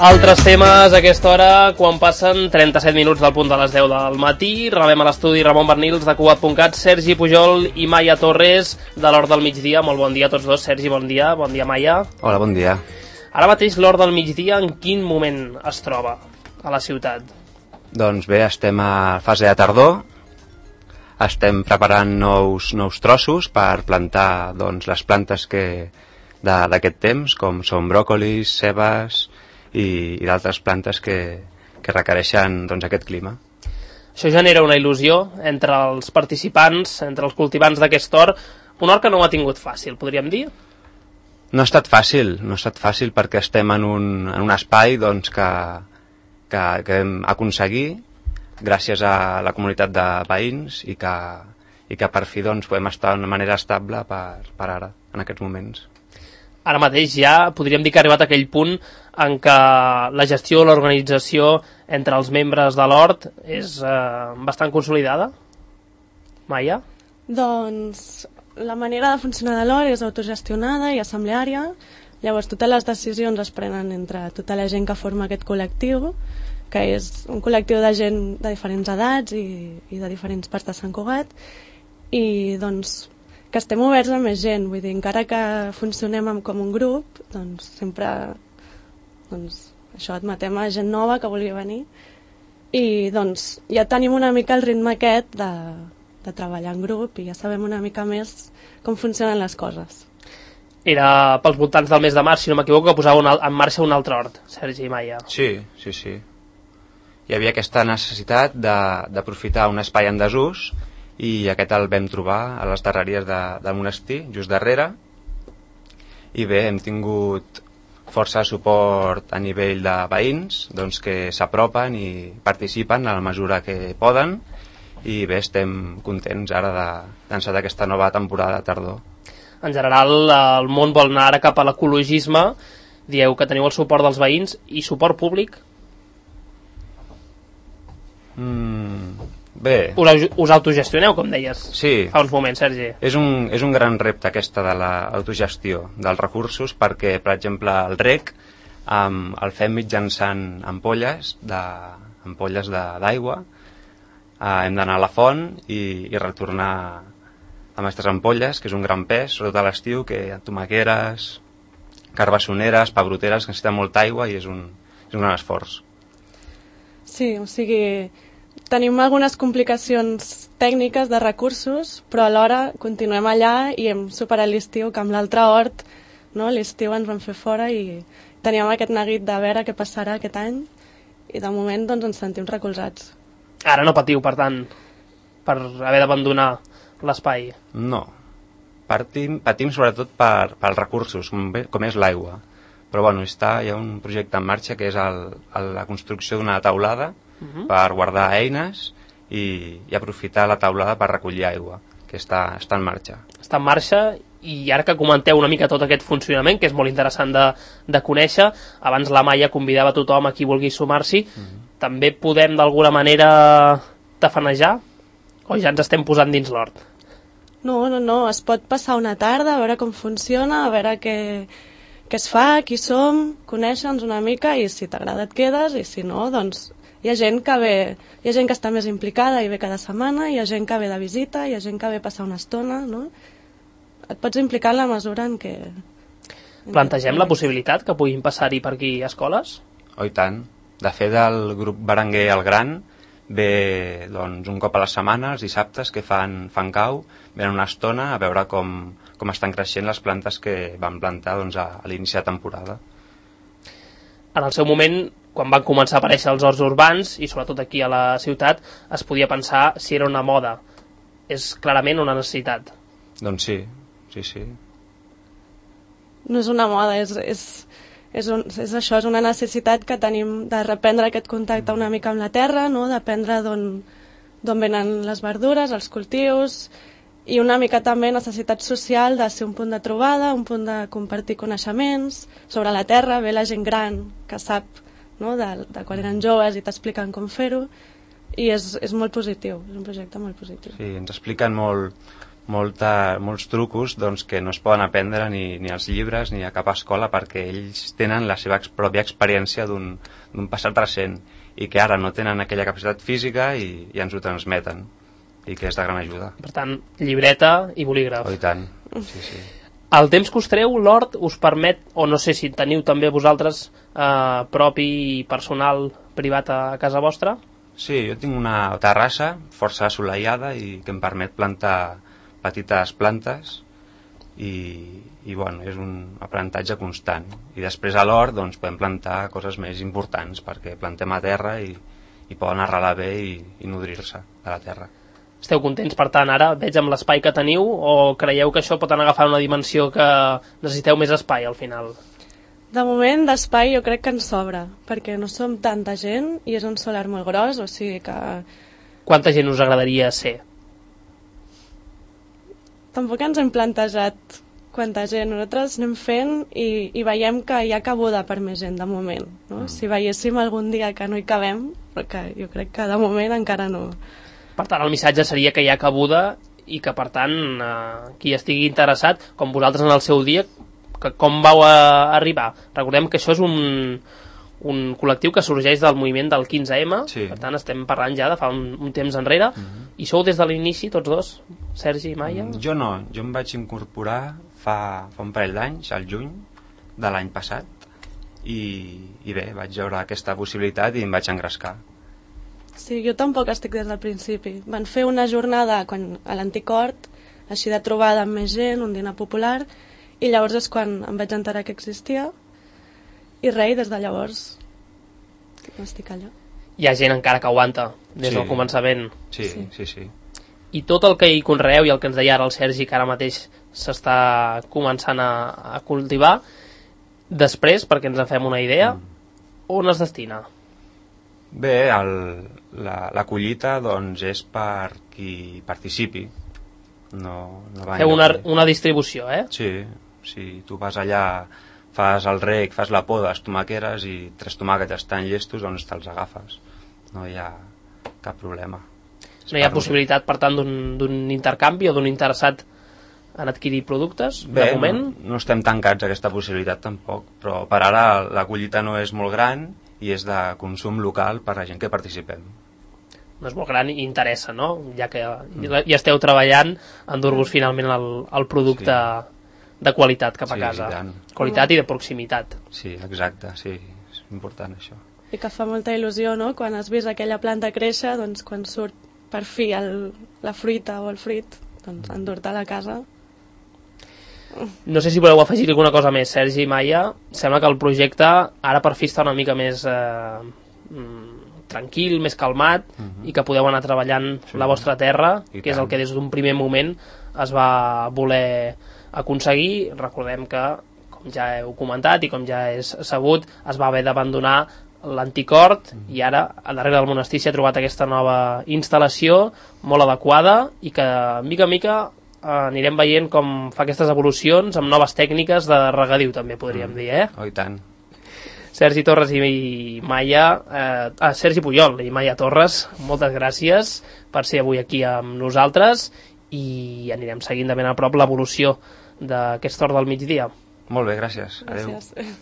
Altres temes a aquesta hora, quan passen 37 minuts del punt de les 10 del matí. Rebem a l'estudi Ramon Bernils de Cugat.cat, Sergi Pujol i Maia Torres de l'Hort del Migdia. Molt bon dia a tots dos. Sergi, bon dia Maia. Hola, bon dia. Ara mateix l'Hort del Migdia en quin moment es troba a la ciutat? Doncs bé, estem a fase de tardor. Estem preparant nous trossos per plantar les plantes d'aquest temps, com són bròcolis, cebes i d'altres plantes que requereixen aquest clima. Això genera una il·lusió entre els participants, entre els cultivants d'aquest hort, un hort que no ho ha tingut fàcil, podríem dir? No ha estat fàcil perquè estem en un espai que hem aconseguir gràcies a la comunitat de veïns i que per fi podem estar d'una manera estable per ara, en aquests moments. Ara mateix ja podríem dir que ha arribat a aquell punt en què la gestió o l'organització entre els membres de l'hort és bastant consolidada? Maia? Doncs la manera de funcionar de l'hort és autogestionada i assembleària. Llavors totes les decisions es prenen entre tota la gent que forma aquest col·lectiu, que és un col·lectiu de gent de diferents edats i de diferents parts de Sant Cugat, i doncs que estem oberts a més gent, vull dir, encara que funcionem com un grup, doncs sempre això admetem a gent nova que vulgui venir, i doncs ja tenim una mica el ritme aquest de treballar en grup i ja sabem una mica més com funcionen les coses. Era pels voltants del mes de març, si no m'equivoco, que posava en marxa un altre hort, Sergi i Maia. Sí. Hi havia aquesta necessitat d'aprofitar un espai en desús i aquest el vam trobar a les darreries del monestir, just darrere, i bé, hem tingut força suport a nivell de veïns que s'apropen i participen a la mesura que poden, i bé, estem contents ara d'encetar aquesta nova temporada de tardor. En general, el món vol anar ara cap a l'ecologisme. Dieu que teniu el suport dels veïns i suport públic? Bé. Us autogestioneu, com deies fa uns moments, Sergi. És un gran repte aquesta de l'autogestió dels recursos, perquè, per exemple, el rec el fem mitjançant ampolles d'aigua. Hem d'anar a la font i retornar amb aquestes ampolles, que és un gran pes, sobretot a l'estiu, que tomaqueres, carbassoneres, pebroteres, que necessiten molta aigua i és un gran esforç. Sí, o sigui, tenim algunes complicacions tècniques de recursos, però alhora continuem allà i hem superat l'estiu, que amb l'altre hort, no? L'estiu ens vam fer fora i teníem aquest neguit de veure què passarà aquest any, i de moment ens sentim recolzats. Ara no patiu, per tant, per haver d'abandonar l'espai? No, patim sobretot pels recursos, com és l'aigua. Però bueno, hi ha un projecte en marxa que és la construcció d'una taulada per guardar eines i aprofitar la taulada per recollir aigua, que està en marxa. Està en marxa, i ara que comenteu una mica tot aquest funcionament, que és molt interessant de conèixer, abans la Maia convidava tothom a qui vulgui sumar-s'hi, també podem d'alguna manera tafanejar? O ja ens estem posant dins l'hort? No, es pot passar una tarda a veure com funciona, a veure què es fa, qui som, conèixer-nos una mica, i si t'agrada et quedes, i si no, doncs hi ha gent que ve, hi ha gent que està més implicada i ve cada setmana, hi ha gent que ve de visita, hi ha gent que ve a passar una estona, no? Et pots implicar en la mesura en què... Plantegem la possibilitat que puguin passar-hi per aquí escoles? Oh, i tant. De fet, el grup Berenguer el Gran ve un cop a la setmana, els dissabtes, que fan cau, venen una estona a veure com estan creixent les plantes que van plantar a l'inici de temporada. En el seu moment, quan van començar a aparèixer els horts urbans, i sobretot aquí a la ciutat, es podia pensar si era una moda. És clarament una necessitat. Doncs sí. No és una moda, és això, és una necessitat que tenim de reprendre aquest contacte una mica amb la terra, no? D'aprendre d'on venen les verdures, els cultius, i una mica també necessitat social de ser un punt de trobada, un punt de compartir coneixements sobre la terra. Ve la gent gran que sap, no? de quan eren joves, i t'expliquen com fer-ho, i és molt positiu, és un projecte molt positiu. Sí, ens expliquen molt molts trucos doncs, que no es poden aprendre ni als llibres ni a cap escola, perquè ells tenen la seva pròpia experiència d'un passat recent i que ara no tenen aquella capacitat física i ens ho transmeten, i que és de gran ajuda. Per tant, llibreta i bolígraf. Oh, i tant, sí. El temps que us treu, l'hort, us permet, o no sé si teniu també vosaltres propi i personal privat a casa vostra? Sí, jo tinc una terrassa força assolellada i que em permet plantar petites plantes i bueno, és un aprenentatge constant. I després a l'hort doncs, podem plantar coses més importants, perquè plantem a terra i poden arrelar bé i nodrir-se de la terra. Esteu contents, per tant, ara? Veig amb l'espai que teniu, o creieu que això pot anar agafant una dimensió que necessiteu més espai al final? De moment, d'espai jo crec que ens sobra, perquè no som tanta gent i és un solar molt gros, o sigui que... Quanta gent us agradaria ser? Tampoc ens hem plantejat quanta gent. Nosaltres anem fent i veiem que hi ha cabuda per més gent de moment. No? Si veiéssim algun dia que no hi cabem, perquè jo crec que de moment encara no. Per tant, el missatge seria que hi ha cabuda i que, per tant, qui estigui interessat, com vosaltres en el seu dia, com vau arribar? Recordem que això és un col·lectiu que sorgeix del moviment del 15M, sí. Per tant estem parlant ja de fa un temps enrere, i sou des de l'inici tots dos, Sergi i Maia? Jo no, jo em vaig incorporar fa un parell d'anys, al juny de l'any passat, i bé, vaig veure aquesta possibilitat i em vaig engrescar. Sí, jo tampoc estic des del principi. Van fer una jornada a l'Antic Hort, així de trobada amb més gent, un dinar popular, i llavors és quan em vaig enterar que existia, i res, des de llavors estic allà. Hi ha gent encara que aguanta des del començament. Sí. I tot el que hi conreeu i el que ens deia ara el Sergi, que ara mateix s'està començant a cultivar, després, perquè ens en fem una idea, on es destina? Bé, la collita doncs, és per qui participi. Feu una distribució, eh? Sí, tu vas allà, fas el rec, fas la poda, les tomaqueres i 3 tomàquets estan llestos, doncs te'ls agafes. No hi ha cap problema. No hi ha possibilitat, per tant, d'un intercanvi o d'un interessat en adquirir productes, de moment? No estem tancats a aquesta possibilitat tampoc, però per ara la collita no és molt gran i és de consum local per la gent que participem. No és molt gran i interessa, no? Ja que ja esteu treballant en dur-vos finalment el producte de qualitat cap a casa. Qualitat i de proximitat. Sí, exacte, sí, és important això. I que fa molta il·lusió, no?, quan has vist aquella planta créixer, doncs quan surt per fi la fruita o el fruit, doncs endur-te a la casa. No sé si voleu afegir alguna cosa més, Sergi i Maia. Sembla que el projecte ara per fi està una mica més tranquil, més calmat, i que podeu anar treballant la vostra terra, que és el que des d'un primer moment es va voler aconseguir. Recordem que, com ja heu comentat i com ja és sabut, es va haver d'abandonar l'Antic Hort i ara a darrere del monestir s'ha trobat aquesta nova instal·lació molt adequada i que mica en mica anirem veient com fa aquestes evolucions amb noves tècniques de regadiu, també podríem dir, eh? Oh, i tant. Sergi Torres i Maia, Sergi Pujol i Maia Torres, moltes gràcies per ser avui aquí amb nosaltres i anirem seguint de ben a prop l'evolució d'aquest hort del migdia. Molt bé, gràcies. Adéu. Gràcies.